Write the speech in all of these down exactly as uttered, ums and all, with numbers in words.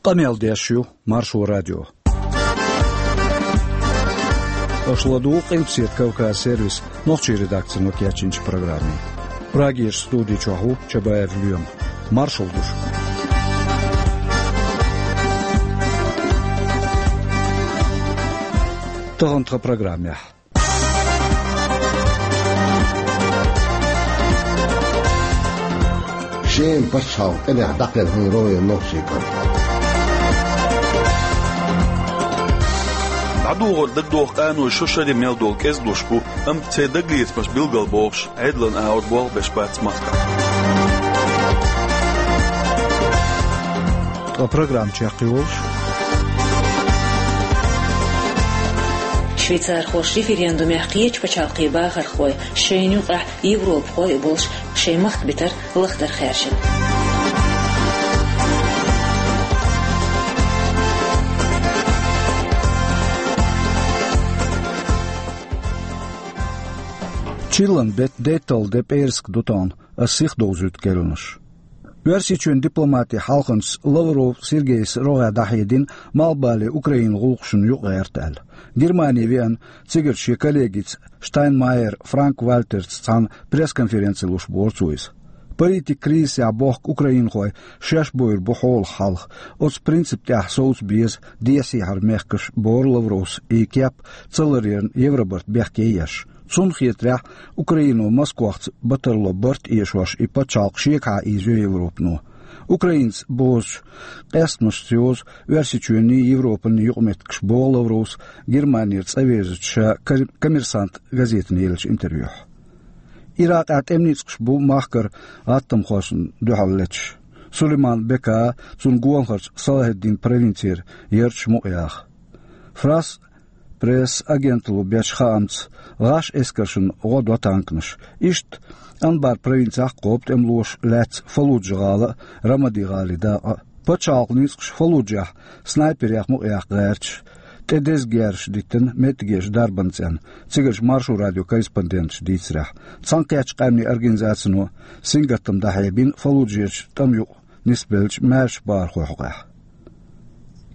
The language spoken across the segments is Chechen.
Къамел деш ю Маршо радио. Аша ладугӀу Къилбаседа Кавказ сервисан нохчийн редакцино кечйинчу программе. Прагерчу студи чохь ву Чабаев Лоьма. Маршалла ду шуьга. Тахана тхан программехь. Шеман пачхьалкх тӀамехь дӀакхелхина рогӀера нохчийн кӀант. ДӀадугӀар дагадоху къаной шо шаре мел долу кӀезиг луш бу, амма церан дагалецамаш билгалбохуш, Ӏедалан агӀор болх беш бац махкахь. Ткъа программа чекхйолуш. Швейцархоша референдумехь кхечу пачхьалкхийн бахархой, шайна юкъахь европахой а болуш, шайн махка битар лахдар хаьржина. Чиллан беттан дейтталгӀа де пӀераска ду тахана, ас сихдовзуьйту керланаш. Оьрсийчоьнан дипломатийн хьалханчас Лавров Сергейс рогӀехь дӀахьедина, малхбале Украинан гӀуллакхашна юкъагӀерта аьлла. Германи веана, цигара шен коллегица Штайнмайер Франк-Вальтерца цхьаьна пресс-конференци луш бора цо иза. Политикан кризисехь бохку украинхой шаьш бовр бу хьолах хьалха, оцу принципан тӀехь совца беза дехьа-сехьара мехкаш, бора Лавровс, и кеп ца ларъярна Евробарт бехке еш. Цунна хетарехь, Украино Москвахца батарло барт а эшош и пачхьалкх шегахьа ийзайо Европано. Украинца бозучу къаьстамашца йозу Оьрсийчоьнний, Европанний юкъаметтигаш, боху Лавровс Германера цӀа везачу ша Кор-, Коммерсант газетана еллачу интервьюхь. Иракъехь тӀеман ницкъаш бу махкара гӀаттамхошна дуьхьал леташ. Сулейман Бека, цуьнан гонахарчу Салахеддин провинцера ярташ мукъаяха. Франс Пресс агенталло бечу хаамца, гӀаш эскаршна гӀо до танканаш. Иштта Анбар провинцехь а кхобу тӀемалоша лаьцна Фаллуджа-гӀала а, Рамади-гӀалин дакъа а. Пачхьалкхан ницкъаша Фаллуджехь снайперех мукъаяккха гӀерташ, тӀе деза герзаш диттина меттигерчу дарбанан цӀенна, цигарчу Маршо радион корреспонденташа дийцарехь. Цхьаьнакхеттачу къаьмнийн организацино сингаттам дӀахьебина Фаллуджерчу тӀама юкъа нисбеллачу маьршачу бахархойн хьокъехь.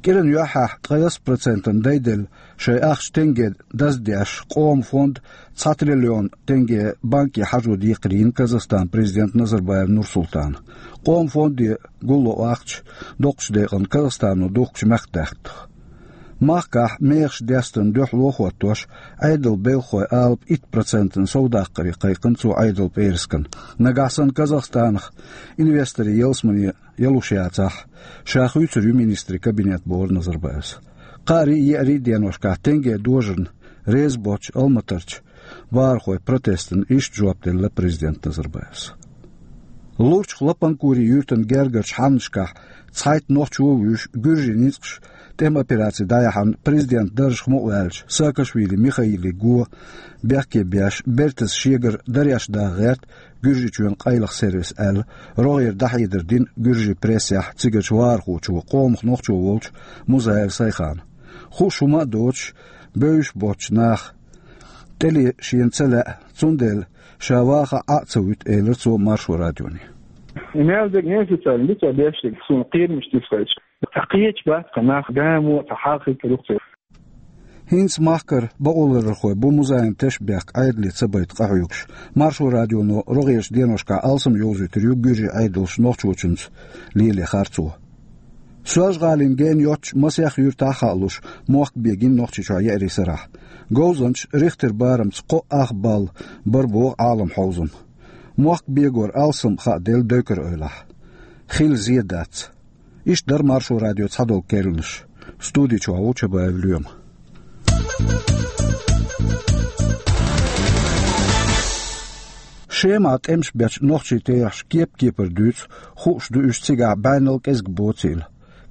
КӀиран юьххьехь ткъайесна процентана дайделла шайн ахча тенге даздеш, къоман фонд цхьа триллион тенге банке хьажо декхарийна Казахстанан президента Назарбаев Нурсултана. Къоман фонде гулло ахча доккхачу декъана Казахстано духкучу мехкдаьхна. Махкахь мехаш дестарна дуьхьало а хӀоттош, Ӏедалан белхахойн алапа итт процентана совдаккхаре кхайкхина цо Ӏедалан пӀераскан. Нагахь санна Казахстанах инвесторийн ялсамане ялуш яцахь, ша хуьйцур ю министрийн кабинет, боху Назарбаевс. Кхаарий а, еарий а деношкахь тенге дожарна реза боцчу Алматарчу бахархойн протестана иштта жоп делла президента Назарбаевс. Лурчух Лапанкури юьртан гергарчу хьаннашкахь цхьайтта нохчо а вуьйш, гуьржийн ницкъаша тӀеман операци дӀаяьхьна президентан даржах мукъаваьллачу Саакашвили Михаилан го бехке беш, бертаза шегара дареш даха гӀерта Гуьржийчоьнан къайлаха сервиса аьлла, рогӀера дӀахьедар дина гуьржийн прессехь цигарчу вахархочо, къомах нохчо волчу Музаев Сайхана. Хууш хӀума а доцуш, бевзаш боцчу наха тӀеле шена ца лаьа, цундела ша ваха Ӏа а ца вуьту, элира цо Маршо радионе. И мел дерг неофициально ду цо беш дерг, суна кхерамаш тесна хьаьжча. Цхьа кхеча бац, цхьа нах гамо, цхьа хьалхе каруьйцу. ХӀинца махкара бакъоларъярхой бу Музаевн тешнабехк Ӏедале ца байта къахьоьгуш. Маршо радионо рогӀерчу деношкахь алсам йовзуьйтур ю гуьржийн Ӏедалша нохчочуьнца лело харцо. Соьлжа-ГӀалина гена йоццуш масех юьртахь а хаалуш, мохк бегийна Нохчийчохь еарин сарахь. Говзанчаша Рихтер барамца кхо ах балл бара боху Ӏалам хьовзам. Мохк бегор алсам хааделла Дойкар-Эвлахь. Хила зен дац. Иштта дара Маршо радион цхьадолу керланаш. Студи чохь ву Чабаев Лоьма. Шемахь тӀемаш бечу нохчийн терахьаш кеп-кепара дуьйцу, хууш ду уьш цигахь бӀеннал кӀезиг боцийла.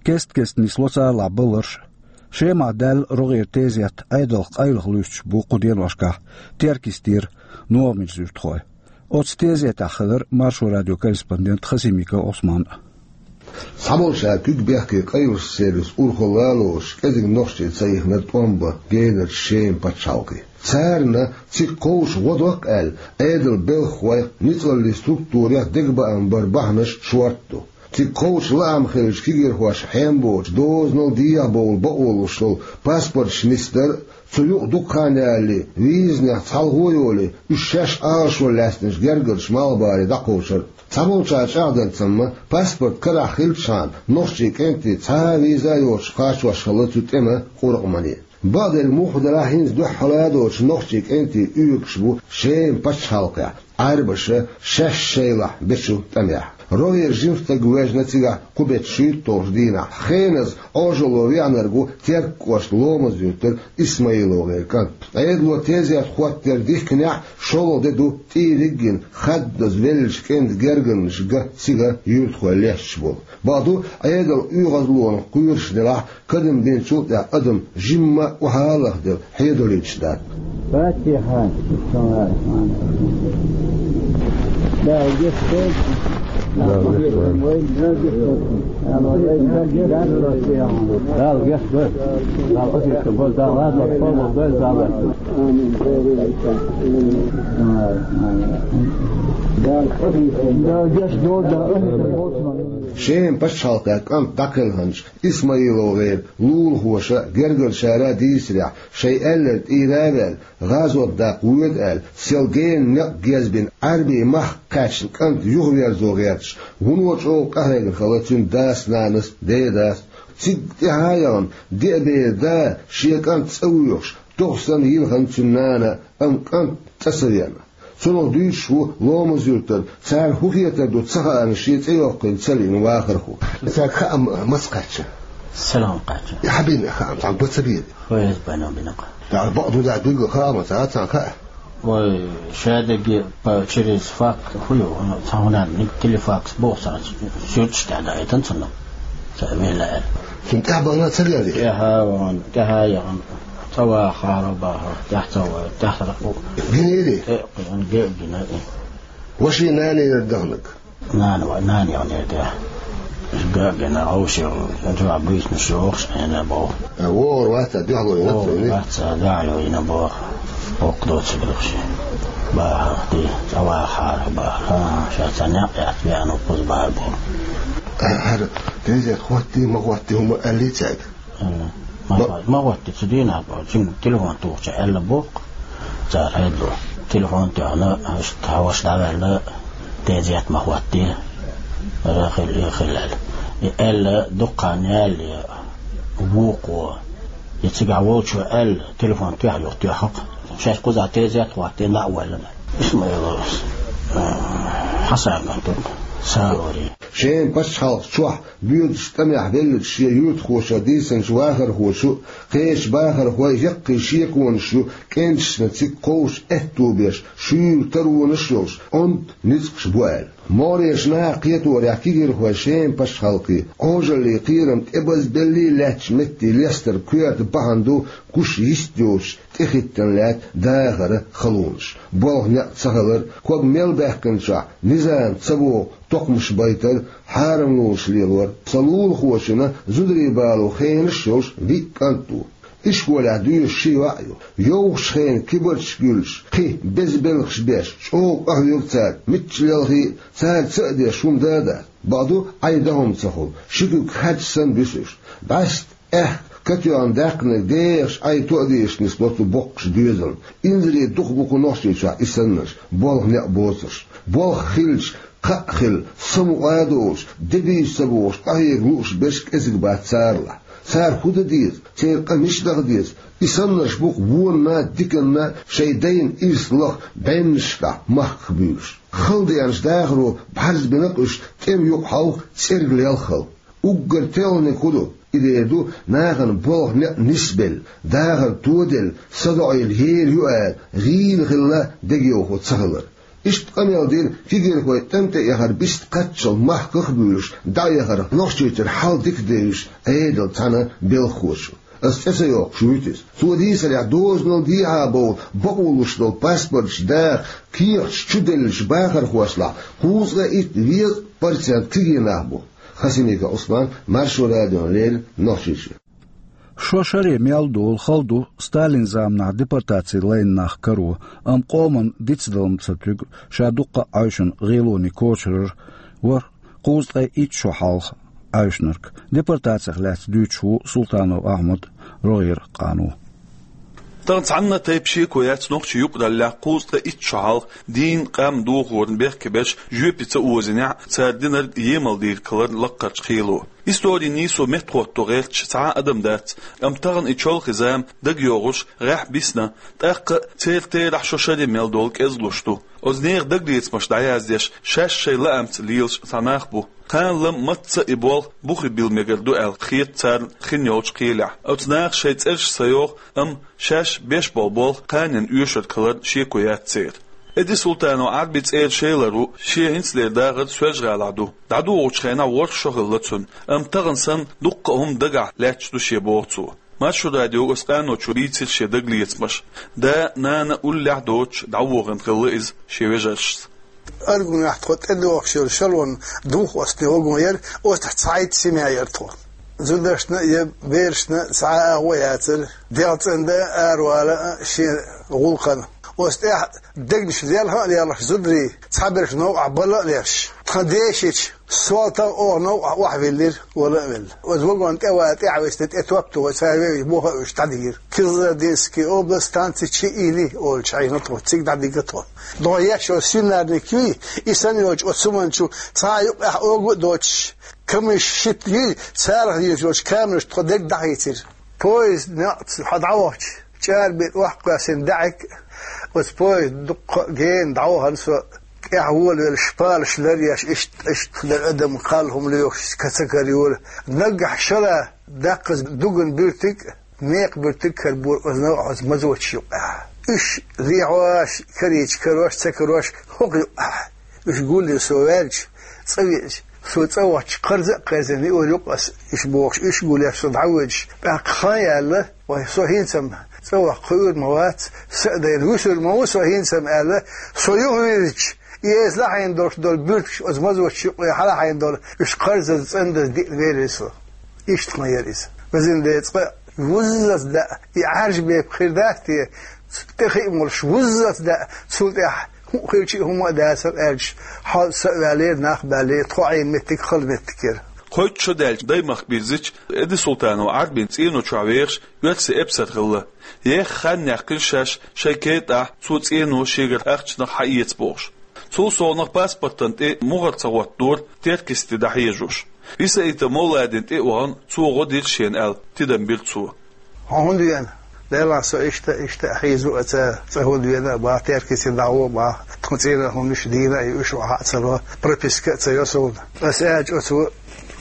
Кест-кеста нисло царалахь баларш а. Шемахь даьлла рогӀера тезет Ӏедалх къайлаха луьстуш бу кху деношкахь Теркйистера, НогӀмерзан юьртахой. Оцу тезетехь хилира Маршо радион корреспондент Хасимиков Ӏусман. Цхьаболчара куьг бехке къайлахчу сервисан урхалла а лоцуш, кӀезиг нохчий ца ихнера тӀом бан генарчу Шеман пачхьалкхе. Царна цига кховша гӀо доккху аьлла, Ӏедалан белхахойх, ницкъаллийн структурех дегабаам бар бахьанаш шорта ду. Цига кхочуш лаам хиллачу кегийрхошна хьем боцуш, дозанал дехьа бовла бакъо луш долу паспорташ нисдар а, цу юкъа дукха хан ялале, визанех цхьалгӀа йолий, уьш шаьш Ӏалашо лаьцначу гергарчу малхбале дӀакхочур а. Цхьаболчара чӀагӀдарца-м, паспорт карахь хиллачхьана, нохчийн кӀентий цхьа а виза а йоцуш кхачош хилла цу тӀеман къуркъамане. Бакъдерг мухха делахь а, хӀинца дуьххьара а доцуш нохчийн кӀентий оьгуш бу Шеман пачхьалкхехь, Ӏаьрбаша шаьш шайлахь бечу тӀамехь. РогӀера жима стаг вежна цигахь кху беттан шуьйтталгӀачу дийнахь. Хеназа Ӏожалло веанарг ву Теркан кӀоштан Ломаз-Юьртара ИсмаилогӀеран кӀант. Ӏедало тезет хӀоттор дихкинехь а, шолгӀа де ду тӀийриг а йина, хаддаза веллачу кӀентан гергарнаш ган цига юьртахой лесташ болу. Бакъду, Ӏедалан оьгӀазлонах кхоьруш делахь а, кадам бинчул тӀаьхьа адам жимма а охьа а лахделла хьедолуьйтуш дац. Фатихьа. Дала гечдойла. Дала гечдойла. Дала гечдойла. Дала гечдойла. Дала гечдойла. Дала гечдойла. Дала гечдойла. Амин. Дала гечдойла. Шеман пачхьалкхехь кӀант дӀакхелхинчу ИсмаилогӀеран лулахоша а, гергарчара а дийцарехь, шайн аьлларг тӀера а ваьлла, гӀазот даккха воьду аьлла, сел генан некъ гезбина, Ӏаьрбийн махка кхаьчна кӀант юхаверзо гӀерташ, вуно чӀогӀа къахьегна хилла цуьнан дас-нанас, дедас. Цига тӀаьхьа а яхана, деа беран да шен кӀант цӀа воьхуш, доху санна йилхина цуьнан нана, амма кӀант цӀа ца веана. Цунах дуьйцуш ву Ломаз-Юьртара, царна хӀун хетар ду ца хаьа шен цӀе йоккхийна ца лиъна вахархо. Цаьрга хаам маца кхаьчна? Салам кхаьчна. И хьан бина хаам, цхьаьна бан ца бийра? ФСБ-но бина-кх. ТӀаккха бакъ ду дац, билггал хаам ца, царна хаьа? Вай, шадерриге по, через факс хӀун ю, цхьа хӀун аьлла, телефакс боху цхьа, суьрташ тӀехь даийтина цунна. Ца вела аьлла. Цунна тӀаьхьа бахана ца лерри? ТӀаьхьа а вахана, тӀаьхьа а яхана. Цхьа вахара бахара, тӀаьхьа ца вахара, тӀаьхьа ца вахара. Гинийри? Э, кхин, ге а гина, э. Ваша нана яра даханарг? Нана ва-, нана яханера де. Га а гина, овши, жа буьйсанаш йохуш, хьена боху. Э, вогӀур вац, дуьхьало йина вогӀур вац, дуьхьало йина боху. Оккха доцу грехши. Бахара, ди, цхьа вахара бахара. Ха, ша ца некъ яц, веана ву кхуза бахара боху. Э, хӀара, тезет хӀоттий, ма хӀоттий, хӀума аьллий цаьрга? М, ма, ма хӀоттий, цу дийнахь боху, жима телефон тухучу аьлла боху. Цара хьедо. Телефон тоьхна, аша тхьаваш дӀаваьлла, тезет ма хӀоттий. Ара хила, и хила аьлла. И аьлла, дуккха ялале, вукхо. И цигахь волчо аьлла, телефон тоьхна юха тоьхна-кх. Шаьш кхузахь тезет хӀоттий, дӀа а ваьлла. Исмаиловс, а, Хьасан кӀант ву, Сарори. Шеман пачхьалкх чохь боьдучу тӀамехь веллачу шен юьртахоша дийцинчу вахархочун, кхечу бахархойн яккхий шеконаш ю кӀенташна цига кховш аьтто беш, шуьйра таронаш а йолуш, онда ницкъаш бу аьлла. Могъарерчу наха кхеторехь, кегийрхой Шеман пачхьалкхе Ӏожаллин кхерам тӀебазбеллий лаьттачу метте лестар коьрта бахьана ду гуш йист йоцуш тӀехӀиттина лаьтта дахаран халонаш. Болх-некъ ца хилар, ког мел баьккхинчохь низам ца боху токхамаш байтар, хьарамлонаш лелор. Сан лулахочунна зударий бало хенаш а йолуш виъ кӀант ву. Ишколехь доьшуш ши йоӀ а ю. Йовхачу хенан кибарчашка юьллуш, кхин беза белхаш беш, чӀогӀа къахьоьгу цара, мичча лелхий а, цара ца а деш хӀума да а дац. Бакъду, Ӏай дан хӀума ца хуьлу, ши куьг хьаьдча санна буьсу уьш. БӀаьста аьхка катоьхна даьккхинарг дехаш Ӏай тоъа дезаш нисло цу боккхачу доьзална. Инзаре дукха бу кху Нохчийчохь и саннарш, болх-некъ боцурш. Болх хилча, кхаъ хилла, самукъа а долуш, де-бийса ца бохуш, къахьега лууш берш кӀезиг бац царалахь. Цара хӀун дан деза? Церан къа мича даха деза? И саннарш бу-кх вонна а, диканна а шайн дайна ирс лаха бӀеннашкахь махках буьйлуш. Хала деанчу дахаро бӀарзбина-кх уьш тӀеман юкъа хьовха, цӀерга лелха хила. Уггар телхинарг хӀун ду? И дера ду, нахана болх-некъ нисбелла, дахар тоделла, садоӀийла ер ю ала, гӀийла хилла дегайовхо ца хилар. Иштта къамел дира кегийрхой тӀам тӀе эхар бист кхаччалц махках а буьйлуш, дӀаэхарх Нохчийчуьра хьал дика девзаш Ӏедалан цхьана белхахочо. Ас цӀе ца йоккхуш вуьту иза. Цо дийцарехь, дозанал дехьа бовла бакъо луш долу паспорташ даха кехаташ чуделлачу бахархошлахь кхузткъе итт везткъа процент кегий нах бу. Хасимиков Ӏусман, Маршо радиона леррина, Нохчийчоь. Шо шаре мел долу хала ду Сталин заманахь депортаци лайна нах каро, амма къоман дицдалам ца туьгу ша дуккха а Ӏаьвшина гӀелоне кочарар вара кхузткъе итт шо хьалха Ӏаьвшинарг. Депортацех лаьцна дуьйцуш ву Султанов Ахьмад, рогӀера къано. Тахана цхьанна тайпа шеко яц нохчийн юкъараллехь кхузткъе итт шо хьалха дийна къам дохорна бехке берш жоьпе ца озийнехь, цара динарг емал дийриг хилар лаккхарчу кхело. Историн нийсо меттахӀотто гӀерташ цхьа а адам дац, амма тахана и чолхе зама дагайогӀуш гӀеххьа бисна, тӀаккха а церан терахь шо шаре мел долу кӀезгалуш ду. Оцу нехан дагалецамаш дӀаяздеш, шаьш шайн лаамца лелаш цхьа нах бу. Кхана-лама мацца а и болх бухе билла мегар ду аьлла хета царна хин йолчу кхелехь. Оцу наха шайн цӀераш ца йоху, амма шаьш беш болу болх кханенна оьшург хиларна шеко яц церан. Эди Султанов Ӏарбин цӀера шелар ву, шен хӀинцалера дахар Соьлжа-ГӀалахь ду. ДӀадугӀучу хенахь ворхӀ шо хилла цунна, амма тахана санна дуккха а хӀума дагахь лаьтташ ду шен, боху цо. Маршо радиога оцу къаночо бийцира шен дагалецамаш. Да, нана уллехь а доцуш дӀавохийна хилла иза шен вежаршца. Аргунехь тхо тӀедогӀуш йолу шалон духхьалц вагон яра, оцу тӀехь цхьайтта семья яра тхо. Зударшна я берашна цхьа а агӀо яцара, дегӀ цӀандан а, аравала а шен гӀуллакхана. Оцу тӀехь дегнаш лелха а лелхаш зударий, цхьаберш новкъахь бала а леш, тхан дешича, Солтан оха новкъахь охьавиллира, вала а велла. Оцу вагон тӀе ван тӀаьхьа висна, тӀе топ тухуш, цара вевзаш, муха а вуьйш дӀадигира. Кызылординский область, станция Чиини олучу хьайна тхо, цига дӀадигира тхо. ДогӀу еш йолу свинарник юй, и санна йолчу оцу хӀуманчу цхьа а юкъахь ога а доцуш, камыш шийтта юй, царах йолчу камераш тхо дерг дӀахийцира. Поезд некъ хьо дӀавахча, чӀарбина охьакхоьссина даьӀахк, оцу поезд дуккха а гена дӀавахана со, тӀаьхьа волавелла шпалаш лар еш, иштта, иштта лар адам кхалла хӀума лоьхуш, ка ца карайора. Наггахь шала даккхаза дуган буьртиг а, мекхан буьртиг а карабора оцу новкъахь оцу мазочу юкъахь. Уьш лехьош, карийча карош, ца карош хӀокху юкъахь. Уьш гулйина со ваьлча, цӀа веача, со цӀа вахча, кхарза а кхерзина, юкъа аса, иштта бохуш, уьш гулъеш со дӀавоьдуш, тӀаккха хан яьлла, вай, со хӀинца-м цӀа ваха кхуьур ма вац, са а дайна вуьсур ма ву со хӀинца-м аьлла, со юхавирзича, и эза лахьийна долуш долу буьртигаш оцу мазочу юкъе хьалахьийна долу, уьш кхарзаза, цӀандаза диъна велира со. Иштта хан яра иза. Везан Дела, цкъа вуззалц даа, и Ӏаьржа бепиг хир дац те, тӀе хи а молуш, вуззалц даа, цул тӀаьхьа хӀуъа хилча а хӀума а дацара аьлча, хьо са а ваьллера, нах а баьллера, тхо Ӏийна меттиг хала меттиг яра. Кхойтта шо даьлча даймахка бирзича, Эди Султанов Ӏарбин цӀено чохь вехаш оьрсийн эпсар хилла. Еха хан яьккхина шаьш шайн кертахь цо цӀено шегара ахчанах хьаэца бохуш. Цул совнаха паспортан тӀе мухӀар ца хӀоттадора, Теркйисте дӀахьежош. Рисаитов Мовладина тӀе а вахана, цо гӀо дира шена аьлла, тидам бира цо. Хьо хӀунда веана? Делахь со иштта, иштта а хьийзо а ца, цӀа хӀунда веана а баха, Теркйисте дӀагӀо а баха, тхуна цӀийнан хӀуманаш дийна а, и уьш охьа а ца ло, прописка а ца йо суна. Аса аьлча оцо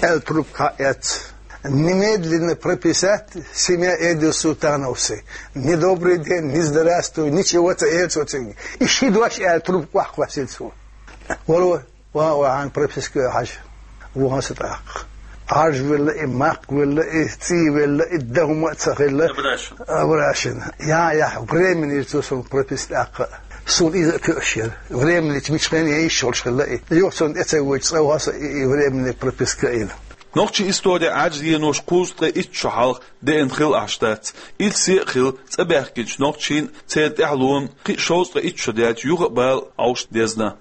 аьлла трубка хьаэцна. Немедленно прописать семья Эдил Султановцы. Ни добрый день, ни здравствуй, ничего ца эр цо цуьнга. И ши дош аьлла трубка охьакхоссина цо. Вало, ван а вахьана прописка а хьажа, вахана со тӀаккха. Ӏаьржа велла и, макх велла и, цӀий велла и, дан хӀума а ца хилла. Абрашин. Абрашин. Я, я, временный цо суна прописка тӀаккха. Суна иза а тоьуш яра. Временный мича хенахь йиш йолуш хилла и. Юха цунна тӀе ца воьдуш, цӀа ваха со и, и временный прописка а йина. Нохчийн историн Ӏаьржа денош кхузткъе итт шо хьалха деана хилла Ӏаш дац. Ирсе а хилла, цӀа баьхкинчу нохчийн, церан тӀаьхьалонан кхин а шовзткъе итт шо даьлча юха а бала Ӏовшашна дезна.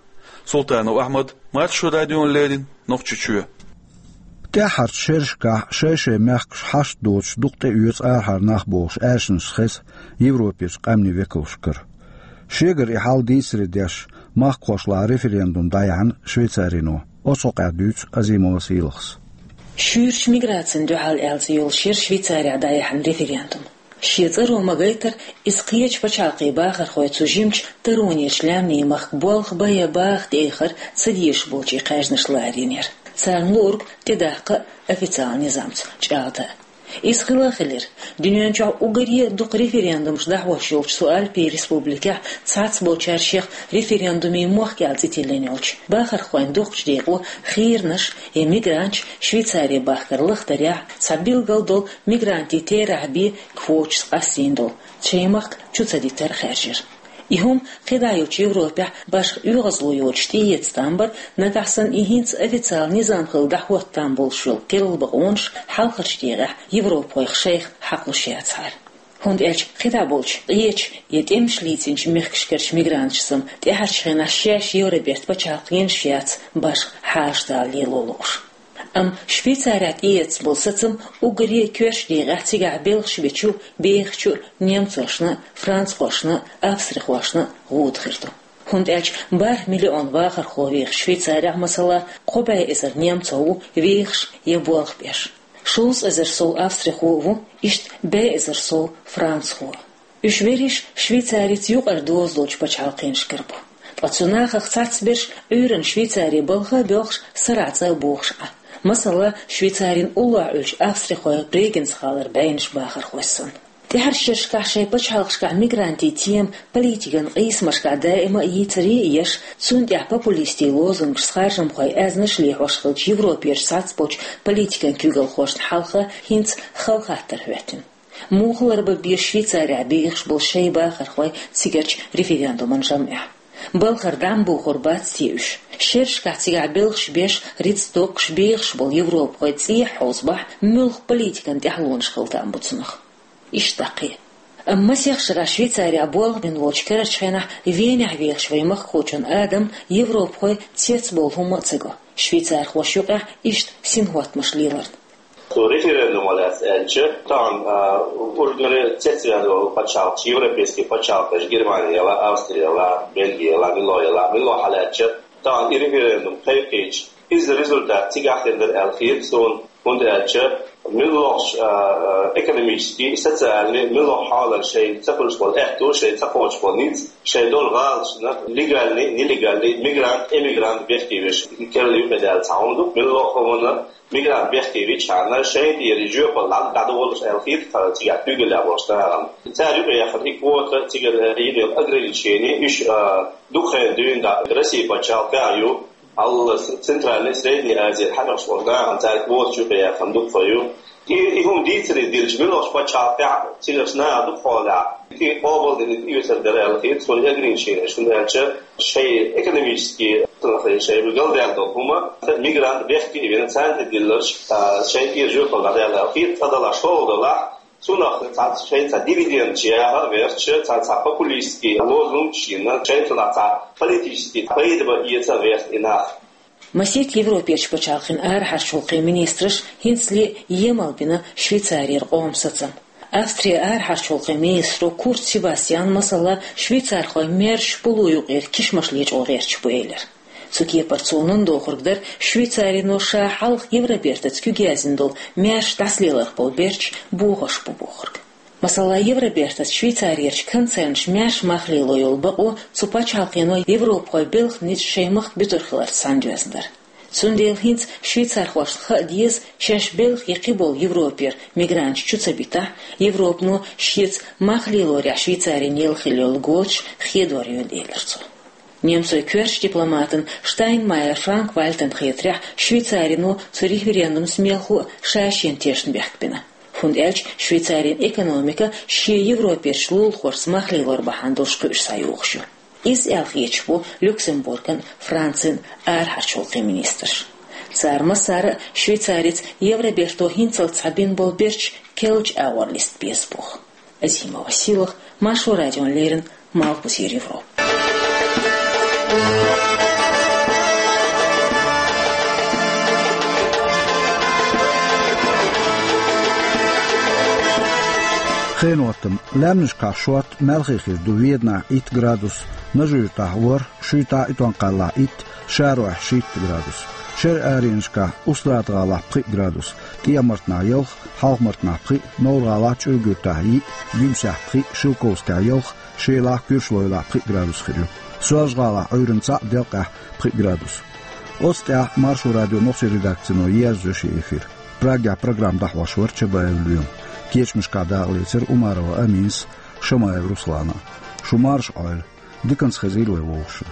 Султанов Ахьмад, Маршо радиона леррина, Нохчийчоь. ТӀаьххьарчу шерашкахь шай-шай мехкаш хьашт доцуш дукха тӀеоьцу арахьара нах бохуш аьршинаш хеза Европерчу къаьмнийн векалшкара. Шегара и хьал дийцаре деш, махкахошлахь референдум дӀаяьхьна Швейцарино. Оцу хьокъехь дуьйцу Азимова Сийлахьас. Шуьйрачу миграцина дуьхьал аьлла цӀе йолуш яра Швейцарехь дӀаяьхьна референдум. Шен цӀаро ма-гайтара, иза кхечу пачхьалкхийн бахархой цу жимачу таронерчу лаьмнийн махка болх бан я баха тӀеэхар ца дезаш болчийн кхаьжнаш ларйина яра. Царна луург тӀедаккха а, официалан низамца чӀагӀдан а. Иза хилла а хилира. Дуьнен чохь уггаре а дукха референдумаш дӀахьош йолчу цу Альпийн республикехь цхьаццаболчара шех референдумийн мохк аьлла цӀе тиллина йолчу бахархойн дукхачу декъо хийрнаш я мигранташ Швейцаре бахкар лахдарехь, цхьа билггал долу мигрантийн терахь бен квоташца къастийна долу шайн махка чу ца дитар хаьржира. И хӀума кхидӀа йолчу Европехь башха оьгӀазло йоцуш тӀеэца там бара, нагахь санна и хӀинца официалан низам хилла дӀахӀотта там болуш йолу керла бакъонаш хьалхарчу декъехь европахойх шайх хьакхалуш яцахьара. ХӀунда аьлча кхидӀа болчу, къечу я тӀемаш лецначу мехкашкарчу мигранташа сама тӀаьхьарчу хенахь шаьш Евроберта пачхьалкхе йинаш яц башха хьажа дала лело лууш. Амма Швейцарехь тӀеэцна болу сацам уггаре а коьртачу декъехь цигахь белхаш бечу, бехачу немцошна, францхошна, австрихошна гӀуда хир ду. ХӀунда аьлча бархӀ миллион вахархо вехаш Швейцарехь, масала, кхо бӀе эзар немцо ву вехаш я болх беш. Шовзткъа эзар сов австрихо а ву, иштта бӀе эзар сов францхо. Уьш берриш Швейцарица юкъара доза долчу пачхьалкхенашкара бу. Ткъа цу нахах цхьацца берш Ӏуьйранна Швейцаре балха а боьлхуш, сарахь цӀа а бохуш Ӏа. Масала, Швейцарин уллохь Ӏуьллучу австрихойн Брегенц-гӀалара бӀеннаш бахархой санна. ТӀаьхьарчу шерашкахь шайн пачхьалкхашкахь мигрантийн тема политикан къийсамашкахь даима а йийцаре а еш, цунна тӀехь популистийн лозунгашца харжамхойн аьзнаш лехьош хиллачу Европерчу цхьацца болчу политикан куьйгалхошна хьалха хӀинца хала хаттар хӀоьттина. Муха ларбан беза Швейцарехь бехаш болу шайн бахархой цигарчу референдуман жамӀехь? Балхара дӀа ма бохур бац те уьш? Шерашкахь цигахь белхаш беш, рицкъ доккхуш бехаш болу европахой цӀехьа хьовзабахь, муьлха политикан тӀаьхьалонаш хила там бу цунах? Иштта дӀа кхин. Амма масех шарахь Швейцарехь болх бина волчу карарчу хенахь Венехь вехаш вайн махкахочун Адама европахой цецбовла хӀумма а ца го, швейцархошна юкъахь иштта синхӀоттамаш леларна. Цу референдумо лаьцна аьлча, тахана, а, ургара цецваьлла волу пачхьалкхаш, европейский пачхьалкхаш, Германи яла, Австри яла, Бельги яла, мила яла, мила хьалаьцча, тахана и референдум кхайкхийча, иза результат цигахь хир дара аьлла хета суна, хӀунда аьлча муьлххачу, а, а, экономический, социальный, муьлхха хьолан шайн ца хуьлуш болу аьтту, шайн ца кхочуш болу ницкъ, шайн долу гӀалаташна легальный, нелегальный, мигрант, эмигрант бехке веш, керла юкъадаьлла цхьа хӀума ду, муьлхха хӀуманна мигрант бехке вичхьана, шайна тӀера жоьпалла дӀадолуш аьлла хета цигахь куьйгаллехь болчу нахана. Цара юкъаяьхна и квота, цигара йина йолу ограничени, уьш, а, дукха хенахь дуьйна дӀа Россия пачхьалкхехь а ю, хьалха Центральный, Средний Азия хьаьркъаш болу нахана цара квоташ юкъаяьхна дукха ю. И, и хӀума дийцаре дилча, муьлххачу пачхьалкхехь цигарчу наха дукхахьолехь, и къобалдина, и оьцур дара аьлла хета суна ограниченеш, хӀунда аьлча шайн экономический, шайн галдаьлла долу хӀума, мигрант бехке а вина, царна тӀе дилларш, а, шайн тӀера жоьпалла дӀадаьлла аьлла хета, цкъа далахь, шолгӀа далахь, цунах цхьацца шайн цхьа дивидендаш яха а верча, цхьа, цхьа популистский лозунгаш йина, шайн цунах цхьа политический пайда бан эца а верта и нах. Масех Европерчу пачхьалкхийн арахьарчу гӀуллакхийн министраша хӀинцале емал бина Швейцарера къоман сацам. Австрин арахьарчу гӀуллакхийн министро Курц Себастьяна, масала, швейцархойн маьрша пулу юкъера кишмаш лечкъо гӀерташ бу элира. Цу кепара цо нун дохург дара, Швейцарино ша хьалха Евробертаца куьг яздина долу маьрша дӀасалеларх болу берташ бохош бу бохург. Масала, Евробертаца Швейцарерчу концернаша маьрша мах лело йолу бакъо цу пачхьалкхено европахойн белхан ницкъ шайн махка буьтур хиларца сандоьзна дара. Цундела хӀинца швейцархошна хаа деза, шаьш белхан я кхиболу Европера мигранташ чу ца битахь, Европано шеца мах лелорехь Швейцарина елла хилла йолу гойташ хедор йойла, элира цо. Немцойн коьртачу дипломатан Штайнмайер Франк-Вальтан хетарехь, Швейцарино цу референдумца мелхо а ша-шена тешна бехк бина. ХӀунда аьлча Швейцарин экономика шен Европерчу лулахошца мах лелор бахьана долуш кхуьуш схьайогӀуш ю. Иза аьлла хеташ бу Люксембурган, Францин арахьарчу гӀуллакхийн министраш. Цара массара а Швейцарица Евроберто хӀинцалц схьабина болу берташ керлачу агӀор листа беза боху. Азимова Сийлаха, Маршо радиона леррина, Малхбузера Европа. Хенан хӀоттам: лаьмнашкахь шорта, маьлхе хир ду Веданахь итт градус, Нажи-Юьртахь ворхӀ, Шуьйтахь а, Итон-Кхаллахь итт, Шароехь шийтта градус. Шеран аренашкахь Устрада-ГӀалахь пхиъ градус, ТӀехьа-Мартанахь ялх, Хьалха-Мартанахь пхиъ, Новр-ГӀалахь чӀуьргуьртахь йиъ, Гуьмсехь пхиъ, Шелковскехь ялх, Шелахь, Куьршалойлахь пхиъ градус хир ю. Соьлжа-ГӀалахь Ӏуьйранна цхьаъ, Делкъехь пхиъ градус. Оцу тӀехь Маршо радион нохчийн редакцино ерзайо шен эфир. Прагехь программа дӀахьош вара Чабаев Лоьма. Кечамашкахь дакъа лецира Умарова Аминас, Шамаев Руслана. Шу марша Ӏойла. Диканца хезийла вай вовшашна.